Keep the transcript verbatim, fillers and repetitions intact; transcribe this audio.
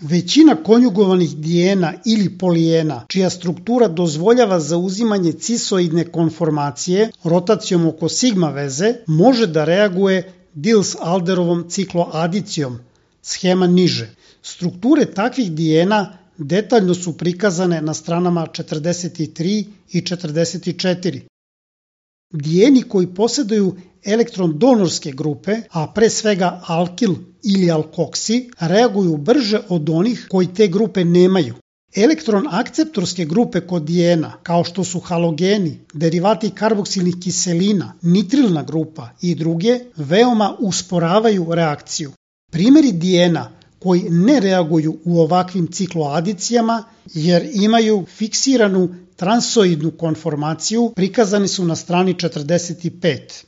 Većina konjugovanih dijena ili polijena, čija struktura dozvoljava zauzimanje cisoidne konformacije rotacijom oko sigma veze, može da reaguje Diels-Alderovom cikloadicijom, schema niže. Strukture takvih dijena detaljno su prikazane na stranama četrdeset tri i četrdeset četiri. Dijeni koji posjeduju elektron donorske grupe, a pre svega alkil ili alkoksi, reaguju brže od onih koji te grupe nemaju. Elektron akceptorske grupe kod dijena, kao što su halogeni, derivati karboksilnih kiselina, nitrilna grupa i druge, veoma usporavaju reakciju. Primjeri dijena koji ne reaguju u ovakvim cikloadicijama jer imaju fiksiranu transoidnu konformaciju prikazani su na strani četrdeset pet.